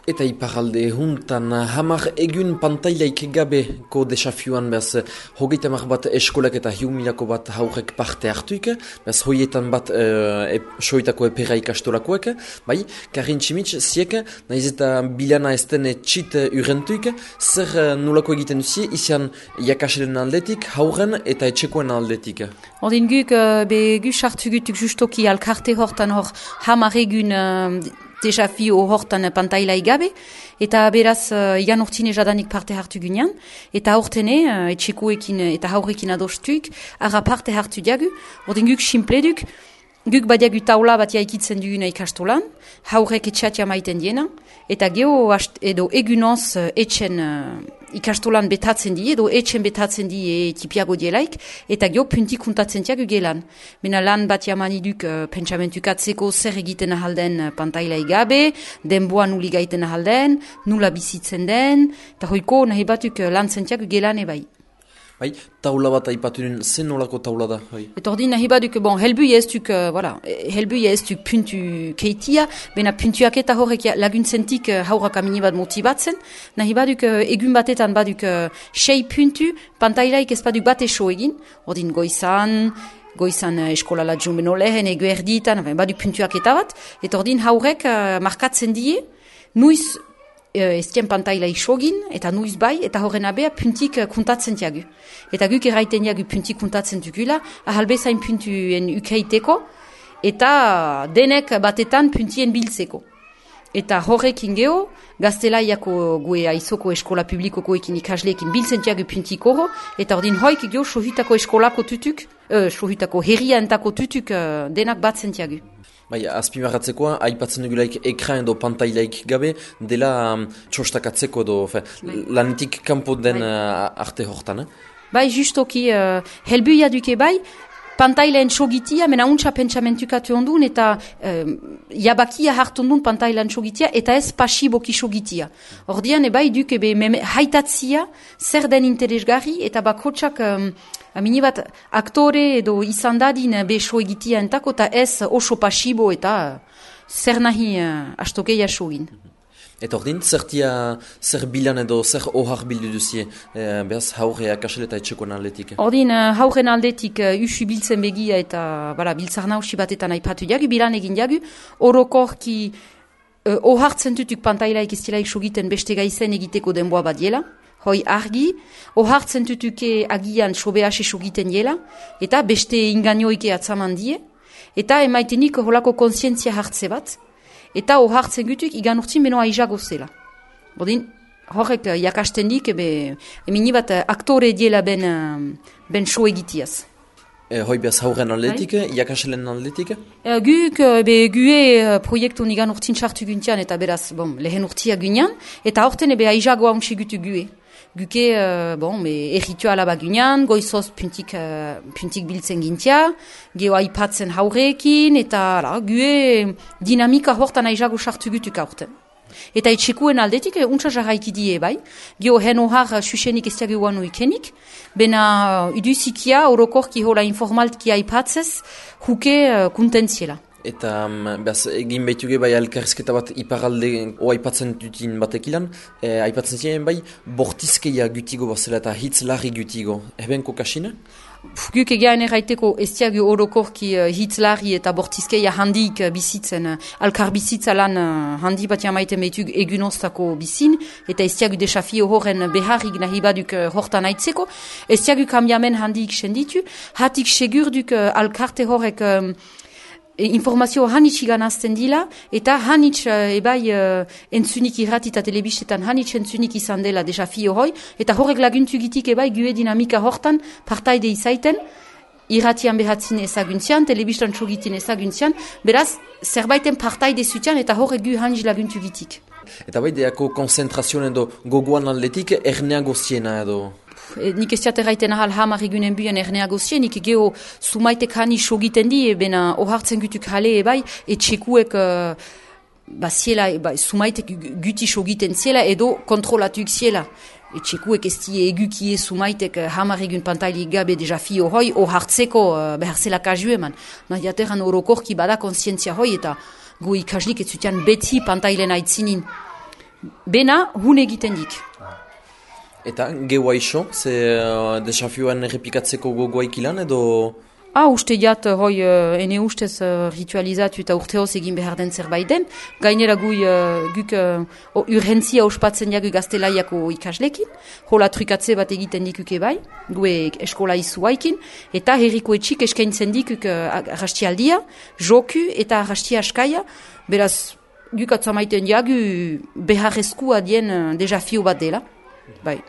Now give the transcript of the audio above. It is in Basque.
Eta iparalde huntan, hamar egun pantailaik gabeko desafioan, bez, hogeita mar bat eskolak eta hiumilako bat haurek parte hartuik, bez, hoietan bat soitako epera ikastolakoek, bai, Karin Tximitz, ziek, nahiz eta bilana ezten txit urentuik, zer nulako egiten duzie, izan jakaselen aldetik, hauren eta etxekoen aldetik. Ordin guk, gu sartu gutuk justoki alkarte hortan hor hamar egun desafio hortan pantailai gabe, eta beraz igan urtine jadanik parte hartu gunean, eta hortene etxekoekin eta haurekin adostuik, ara parte hartu diagu, ordin guk simpleduk, guk badiagu taula bat jaikitzen duguna ikastolan, haurek etxatia maiten diena, eta geho edo egunoz etxen ikastolan betatzen die, edo etxen betatzen die tipiago dielaik, eta geho puntik kuntatzen diagu gelan. Mena lan bat jamaniduk pentsamentukatzeko zer egiten ahalden pantailai gabe, denboa nuli gaiten ahalden, nula bizitzen den, eta hoiko nahi batuk lan zentiagu gelan ebai. Bai, taula bat aipatuen, zen nolako taula da? Eta ordin nahi baduk, bon, helbuia ez duk puntu keitia, bena puntuak eta horrek laguntzentik haurak amini bat motibatzen, nahi baduk egun batetan baduk 6 puntu, pantailaik ez baduk bat eso egin, ordin goizan eskola latjun beno lehen, egu erditan, baduk puntuak eta bat, eta ordin haurek markatzen die, nuiz eztien pantaila isogin, eta nuiz bai, eta horren abea puntik kuntatzen tiagu. Eta guk erraiten diagu puntik kuntatzen dugula, ahalbezain puntuen ukeiteko, eta denek batetan puntien biltzeko. Eta horrekin geho, gaztelaiako gue aizoko eskola publikoko ekin ikasleekin biltzen tiagu puntik horro, eta ordin hoik geho sohitako eskolako tutuk, sohitako herria entako tutuk denak batzen tiagu. Bai, azpimarratzekoa, aipatzen dugulaik ekran edo pantailaik gabe, dela txostakatzeko edo, lanetik kanpo den arte hortan, Bai, justoki, helbuia duke bai, pantailaen sogitia, mena untsa pentsamentukatu ondun, eta jabakia hartu ondun pantailaen sogitia, eta ez pasiboki sogitia. Ordian, bai, duke haitatzia, zer den interesgarri, eta bakotsak amini bat aktore edo izan dadin beso egitia entako, eta ez oso pasibo eta zer nahi astokeia sogin. Eta ordin, zer bilan edo zer ohar bildu duzie, behaz haure akasel eta etxekoen aldetik? Ordin, hauren aldetik usu biltzen begia eta biltzar nausi batetan aipatu diagu, bilan egin diagu, orokorki ohartzen tutuk pantailaik iztilaik sogiten beste gaizen egiteko denboa badiela, hoi argi, ohartzen tutuke agian sobease sogiten diela, eta beste inganioike atzaman die, eta emaitenik holako konsientzia hartze bat, eta ohartzen gutuk igan urtzin beno aizago zela. Bodin, horrek jakasten dik, emini bat aktore diela ben show egitiaz. Hoi behaz hauren aldetik, jakaselen aldetik? Guk, gue proiektu igan urtzin sartu guntian, eta beraz, lehen urtia gunean, eta horten aizago hauntsi gutu gue. Guke, errituala bagunean, goizoz puntik biltzen gintia, geho aipatzen haureekin, eta gue dinamika hortan aizago sartu gutuk aurten. Eta etxekuen aldetik, untsa jarraiki die bai, geho hen ohar susenik ez diago guanu ikenik, bena iduzikia, orokorki hola informaltki aipatzez, huke kuntentziela. Eta egin behituge bai elkarrizketa bat iparalde aipatzen dutin batekilan, aipatzen ziren bai bortizkeia gutigo bazela eta hitz larri gutigo. Eben kokasina? Guk egean erraiteko ez diagu orokorki hitz larri eta bortizkeia handik bizitzen, alkar bizitza lan handi bat jamaiten behitug egunoztako bizin, eta ez diagu desafio horren beharrik nahi baduk hortan aitzeko, ez diagu kambiamen handik senditu, hatik segurduk alkarte horrek informazio hanitz iganazten dila, eta hanitz entzunik irrati eta telebistetan hanitz entzunik izan dela desafio hoi, eta horrek laguntu gitik gue dinamika hortan partaide izaiten, irratian behatzin ezaguntzian, telebistan txogitin ezaguntzian, beraz, zerbaiten partaide zutian, eta horrek gu hanitz laguntu gitik. Eta bai, deako konzentrazioen edo gogoan aldetik erneago ziena edo? Nik ez diat erraiten ahal hamar egunen buien erneago zien, nik geho sumaitek hani sogiten di, bena ohartzen gutuk jale etxekuek sumaitek guti sogiten ziela edo kontrolatuk ziela. Etxekuek ez die egukie sumaitek hamar egun pantailik gabe desafio hoi, ohartzeko behar zela kazu eman. Nahiateran orokorki bada konsientzia hoi eta go ikaslik ez zutian beti pantailen aitzinin. bena hun egiten dik. Eta, geua iso, ze desafioan errepikatzeko gogoaik ilan edo... Uste jat, ene ustez ritualizatu eta urteoz egin behar den zerbait den. Gainera guk urgentzia ospatzen jagu gaztelaiako ikaslekin. Hola trukatze bat egiten dikuke bai, gue eskola izuaikin. Eta herriko etxik eskaintzen dikuk arrastialdia, joku eta arrastia askaia. Beraz, guk atzamaiten jagu beharrezkoa dien desafio bat dela. Bai.